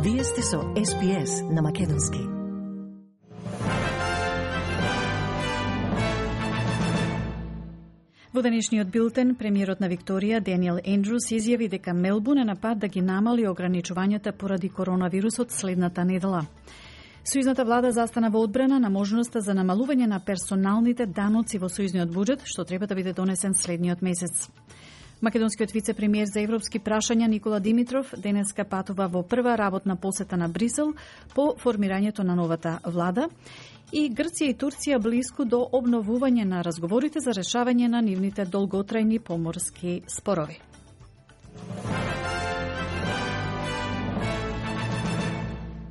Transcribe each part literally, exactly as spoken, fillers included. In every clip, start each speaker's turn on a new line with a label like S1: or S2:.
S1: Вие сте со Ес Би Ес на Македонски. Во денешниот билтен, премиерот на Викторија, Даниел Ендрус, изјави дека Мелбурн е на пат да ги намали ограничувањата поради коронавирусот следната недела. Сојузната влада застана во одбрана на можноста за намалување на персоналните даноци во сојузниот буџет, што треба да биде донесен следниот месец. Македонскиот вице-премиер за европски прашања Никола Димитров денеска патува во прва работна посета на Брисел по формирањето на новата влада и Грција и Турција блиску до обновување на разговорите за решавање на нивните долготрајни поморски спорови.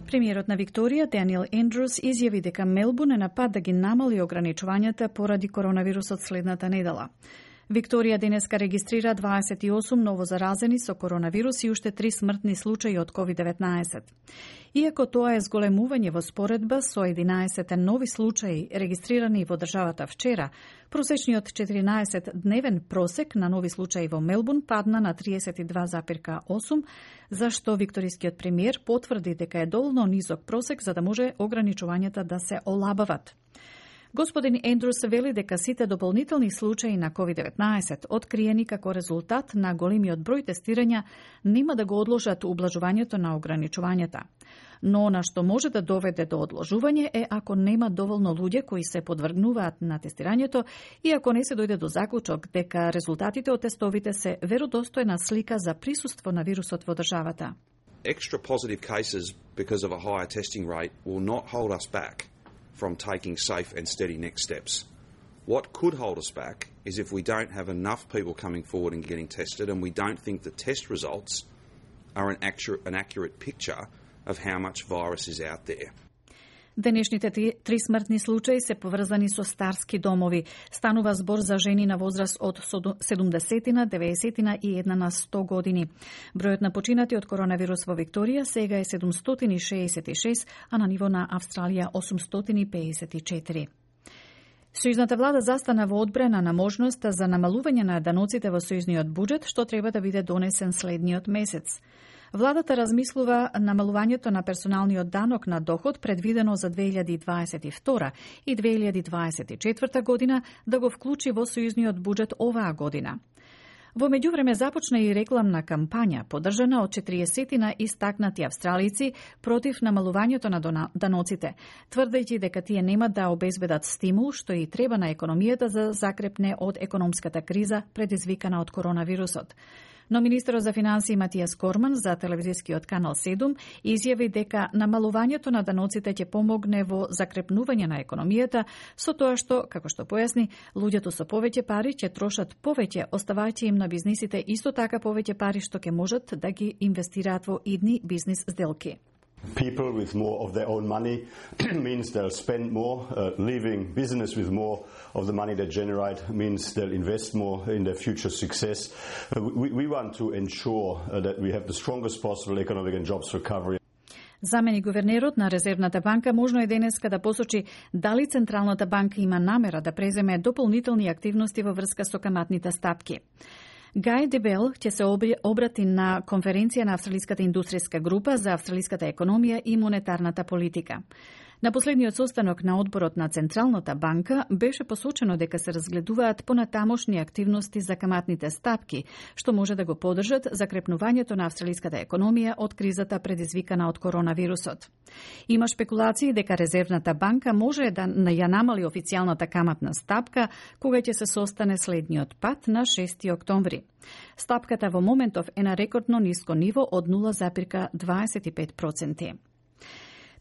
S1: Премиерот на Викторија, Даниел Ендрус, изјави дека Мелбурн е на пат да ги намали ограничувањата поради коронавирусот следната недела. Викторија денеска регистрира дваесет и осум новозаразени со коронавирус и уште три смртни случаи од ковид деветнаесет. Иако тоа е зголемување во споредба со единаесет нови случаи регистрирани во државата вчера, просечниот четиринаесет-дневен просек на нови случаи во Мелбурн падна на триесет и два запирка осум, зашто викторискиот премиер потврди дека е доволно низок просек за да може ограничувањата да се олабават. Господин Ендрус вели дека сите дополнителни случаи на ковид деветнаесет, откриени како резултат на големиот број тестирања, нема да го одложат ублажувањето на ограничувањата. Но она што може да доведе до одложување е ако нема доволно луѓе кои се подвргнуваат на тестирањето и ако не се дојде до заклучок дека резултатите од тестовите се веродостојна слика за присуство на вирусот во државата.
S2: Extra positive cases because of a higher testing rate will not hold us back from taking safe and steady next steps. What could hold us back is if we don't have enough people coming forward and getting tested, and we don't think the test results are an accurate, an accurate picture of how much virus is out there.
S1: Денешните три смртни случаи се поврзани со старски домови. Станува збор за жени на возраст од седумдесетина, деветдесетина и една на сто години. Бројот на починати од коронавирус во Викторија сега е седумстотини шеесет и шест, а на ниво на Австралија осумстотини пеесет и четири. Сојузната влада застана во одбрана на можноста за намалување на даноците во сојузниот буџет, што треба да биде донесен следниот месец. Владата размислува намалувањето на персоналниот данок на доход предвидено за две илјади дваесет и втора и две илјади дваесет и четврта година да го вклучи во сојузниот буџет оваа година. Во меѓувреме започна и рекламна кампања, поддржана од четириесетина истакнати австралици против намалувањето на даноците, тврдејќи дека тие нема да обезбедат стимул што и треба на економијата за закрепне од економската криза предизвикана од коронавирусот. Но министерот за финансии Матијас Корман за телевизискиот канал седум изјави дека намалувањето на даноците ќе помогне во закрепнување на економијата со тоа што, како што појасни, луѓето со повеќе пари ќе трошат повеќе, оставајќи им на бизнисите исто така повеќе пари што ќе можат да ги инвестираат во идни бизнис сделки.
S3: People with more of their own money means they'll spend more. Uh, leaving business with more of the money they generate means they'll invest more in their future success. Uh, we, we want to ensure uh, that we have the strongest possible economic and jobs recovery.
S1: Замени гувернерот на Резервната банка можно е денеска да посочи дали Централната банка има намера да преземе дополнителни активности во врска со каматните стапки. Гај Дебел ќе се обрати на конференција на Австралиската индустријска група за австралиската економија и монетарната политика. На последниот состанок на одборот на Централната банка беше посочено дека се разгледуваат понатамошни активности за каматните стапки, што може да го поддржат закрепнувањето на австралиската економија од кризата предизвикана од коронавирусот. Има шпекулации дека Резервната банка може да ја намали официјалната каматна стапка кога ќе се состане следниот пат на шести октомври. Стапката во моментов е на рекордно ниско ниво од нула запирка дваесет и пет проценти.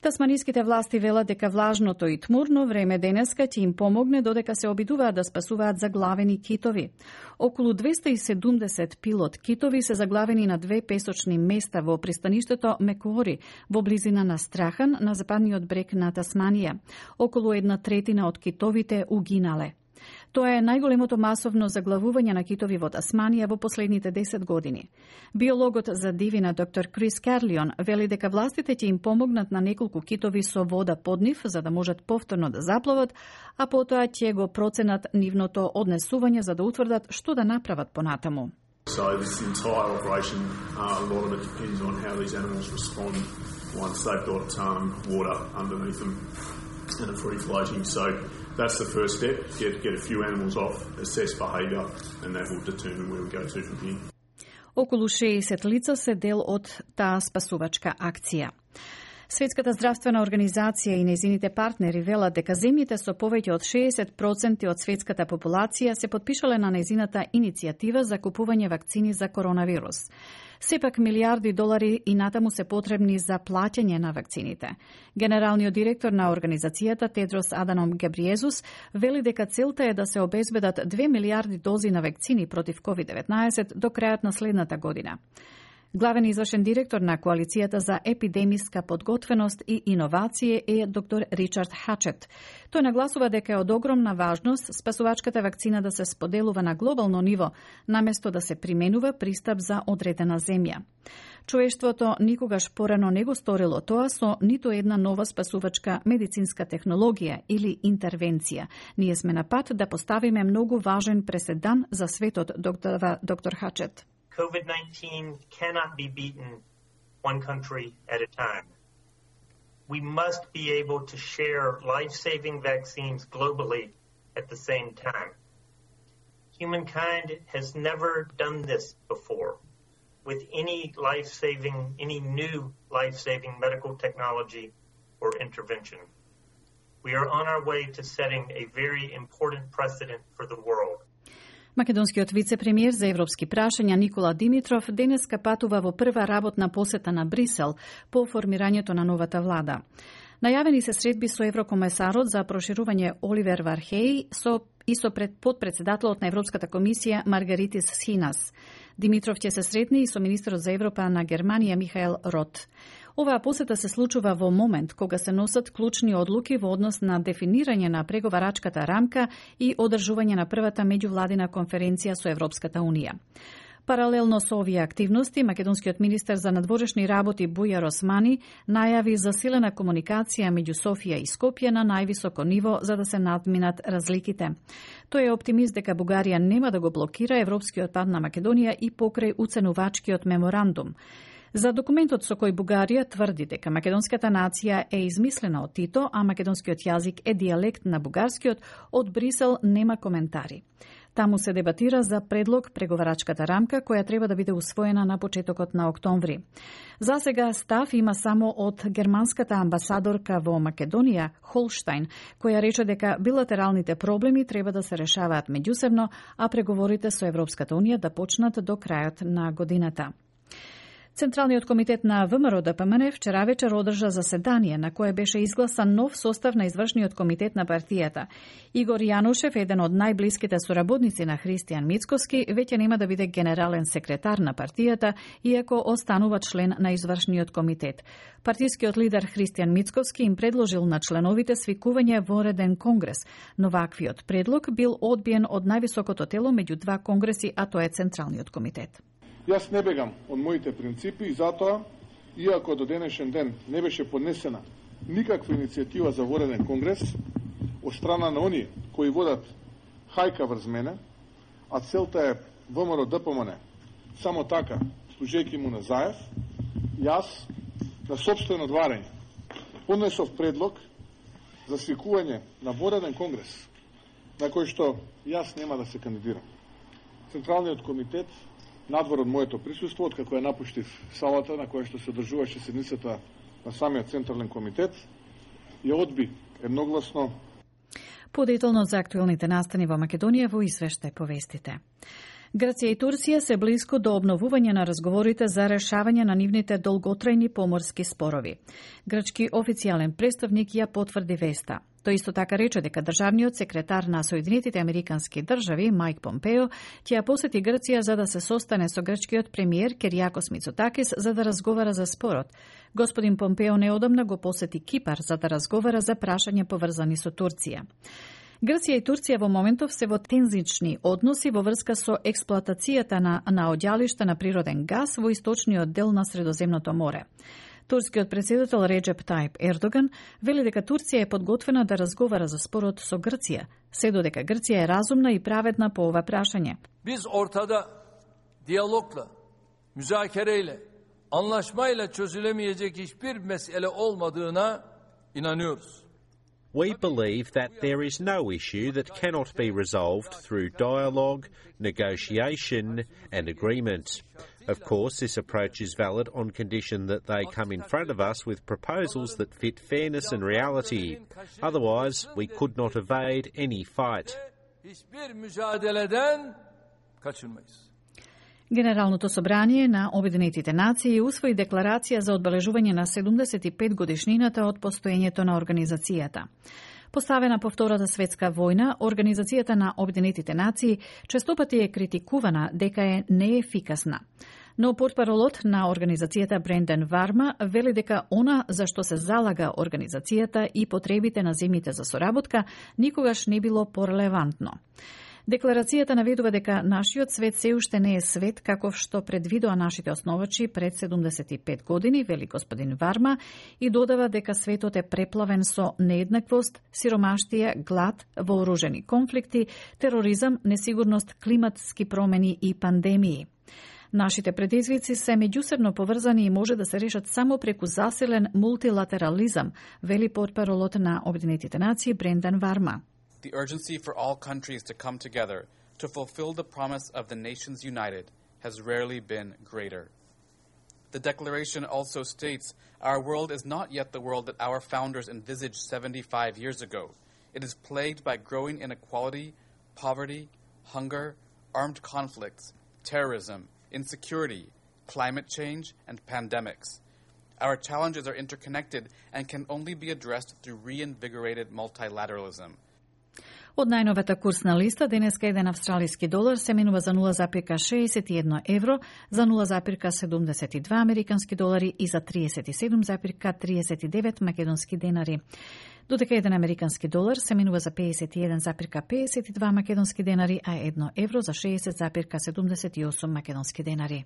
S1: Тасманиските власти велат дека влажното и тмурно време денеска ќе им помогне додека се обидуваат да спасуваат заглавени китови. Околу двесте и седумдесет пилот китови се заглавени на две песочни места во пристаништето Мекуори, во близина на Страхан, на западниот брег на Тасманија. Околу една третина од китовите угинале. Тоа е најголемото масовно заглавување на китови во Тасманија во последните десет години. Биологот за дивина доктор Крис Карлион вели дека властите ќе им помогнат на неколку китови со вода под нив за да можат повторно да заплават, а потоа ќе го проценат нивното однесување за да утврдат што да направат понатаму.
S4: So this entire operation, uh, a lot of it depends on how these animals respond once they've got um, water underneath them and are free floating. So that's the first step, get, get a few animals off, assess behaviour, and that will determine where we go to from here.
S1: Околу шеесет лица се дел од таа спасувачка акција. Светската здравствена организација и незините партнери велат дека земјите со повеќе од шеесет проценти од светската популација се потпишале на незината иницијатива за купување вакцини за коронавирус. Сепак милиарди долари и натаму се потребни за плаќање на вакцините. Генералниот директор на организацијата Тедрос Аданом Гебриезус вели дека целта е да се обезбедат две милиарди дози на вакцини против ковид деветнаесет до крајот на следната година. Главен извршен директор на Коалицијата за епидемиска подготвеност и иновација е доктор Ричард Хачет. Тој нагласува дека е од огромна важност спасувачката вакцина да се споделува на глобално ниво, наместо да се применува пристап за одредена земја. Човештвото никогаш порано не го сторило тоа со ниту една нова спасувачка медицинска технологија или интервенција. Ние сме на пат да поставиме многу важен преседан за светот, доктор, доктор Хачет.
S5: COVID nineteen cannot be beaten one country at a time. We must be able to share life-saving vaccines globally at the same time. Humankind has never done this before with any life-saving, any new life-saving medical technology or intervention. We are on our way to setting a very important precedent for the world.
S1: Македонскиот вице-премиер за европски прашања Никола Димитров денеска патува во прва работна посета на Брисел по формирањето на новата влада. Најавени се средби со еврокомесарот за проширување Оливер Вархеј со и со пред подпредседателот на Европската комисија Маргаритис Схинас. Димитров ќе се сретне и со министерот за Европа на Германија Михаел Рот. Оваа посета се случува во момент кога се носат клучни одлуки во однос на дефинирање на преговарачката рамка и одржување на првата меѓувладина конференција со Европската Унија. Паралелно со овие активности, македонскиот министер за надворешни работи Бујар Османи најави засилена комуникација меѓу Софија и Скопје на највисоко ниво за да се надминат разликите. Тој е оптимист дека Бугарија нема да го блокира европскиот пат на Македонија и покрај уценувачкиот меморандум. За документот со кој Бугарија тврди дека македонската нација е измислена од Тито, а македонскиот јазик е дијалект на бугарскиот, од Брисел нема коментари. Таму се дебатира за предлог преговарачката рамка која треба да биде усвоена на почетокот на октомври. За сега став има само од германската амбасадорка во Македонија, Холштајн, која рече дека билатералните проблеми треба да се решаваат меѓусебно, а преговорите со Европската Унија да почнат до крајот на годината. Централниот комитет на ВМРО Д П М Н вчера вечер одржа заседание на кое беше изгласан нов состав на извршниот комитет на партијата. Игор Јанушев, еден од најблиските соработници на Христијан Мицкоски, веќе нема да биде генерален секретар на партијата, иако останува член на извршниот комитет. Партискиот лидер Христијан Мицкоски им предложил на членовите свикување во реден конгрес, но ваквиот предлог бил одбиен од највисокото тело меѓу два конгреси, а тоа е Централниот комитет.
S6: Јас не бегам од моите принципи и затоа, иако до денешен ден не беше поднесена никаква иницијатива за вореден конгрес од страна на оние кои водат хајка врз мене, а целта е ВМРО Д П М Н само така, служејќи му на Заев, јас на сопствено одварање поднесов предлог за свикување на вореден конгрес на кој што јас нема да се кандидирам. Централниот комитет надвор од моето присуство, откако ја напуштив салата на која што се одржуваше седницата на самиот Централен комитет, ја одби едногласно.
S1: Подетално за актуелните настани во Македонија во извештај по вестите. Грција и Турција се близко до обновување на разговорите за решавање на нивните долготрајни поморски спорови. Грчки официјален представник ја потврди веста. Тој исто така рече дека државниот секретар на Соединетите Американски држави Мајк Помпео ќе ја посети Грција за да се состане со грчкиот премиер Киријакос Мицотакис за да разговара за спорот. Господин Помпео неодамна го посети Кипар за да разговара за прашања поврзани со Турција. Грција и Турција во моментов се во тензични односи во врска со експлоатацијата на наоѓалишта на природен газ во источниот дел на Средоземното море. Турскиот председател Реджеп Тајип Ердоган вели дека Турција е подготвена да разговара за спорот со Грција, се додека Грција е разумна и праведна по ова прашање.
S7: Биз ортада diyalogla, müzakereyle, anlaşmayla çözülemeyecek hiçbir mesele olmadığına inanıyoruz.
S8: We believe that there is no issue that cannot be resolved through dialogue, negotiation and agreement. Of course, this approach is valid on condition that they come in front of us with proposals that fit fairness and reality. Otherwise, we could not evade any fight.
S7: Hiçbir mücadeleden kaçınmayız.
S1: Генералното собрание на Обединетите нации усвои декларација за одбележување на седумдесет и пет годишнината од постоењето на организацијата. Поставена по Втората светска војна, Организацијата на Обединетите нации честопати е критикувана дека е неефикасна. Но портпаролот на организацијата Брендан Варма вели дека она за што се залага организацијата и потребите на земјите за соработка никогаш не било порелевантно. Декларацијата наведува дека нашиот свет се уште не е свет каков што предвидоа нашите основачи пред седумдесет и пет години, вели господин Варма, и додава дека светот е преплавен со нееднаквост, сиромаштија, глад, вооружени конфликти, тероризам, несигурност, климатски промени и пандемии. Нашите предизвици се меѓусебно поврзани и може да се решат само преку засилен мултилатерализам, вели портпаролот на Обединетите нации Брендан Варма.
S9: The urgency for all countries to come together to fulfill the promise of the nations united has rarely been greater. The declaration also states our world is not yet the world that our founders envisaged seventy-five years ago. It is plagued by growing inequality, poverty, hunger, armed conflicts, terrorism, insecurity, climate change, and pandemics. Our challenges are interconnected and can only be addressed through reinvigorated multilateralism.
S1: Од најновата курсна листа, денеска еден австралиски долар се менува за нула зарез шеесет и едно евро, за нула зарез седумдесет и два американски долари и за триесет и седум зарез триесет и девет македонски денари. Додека еден американски долар се менува за пеесет и еден зарез пеесет и два македонски денари, а едно евро за шеесет зарез седумдесет и осум македонски денари.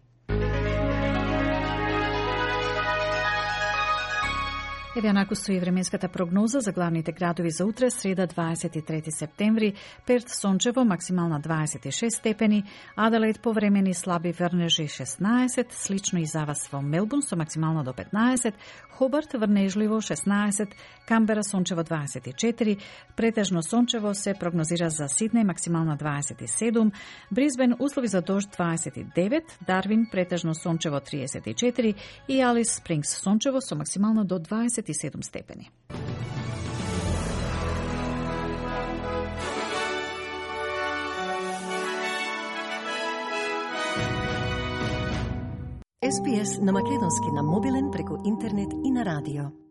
S1: Еве онаку стои временската прогноза за главните градови за утре, среда дваесет и трети септември. Перт сончево, максимална дваесет и шест степени, Аделаид повремени слаби врнежи шеснаесет, слично и за вас во Мелбурн со максимално до петнаесет, Хобарт врнежливо шеснаесет, Камбера сончево дваесет и четири, претежно сончево се прогнозира за Сиднеј максимална дваесет и седум, Брисбен услови за дожд дваесет и девет, Дарвин претежно сончево триесет и четири и Алис Спрингс сончево со максимално до дваесет и седум степени.
S10: Ес Би Ес на македонски на мобилен преку интернет и на радио.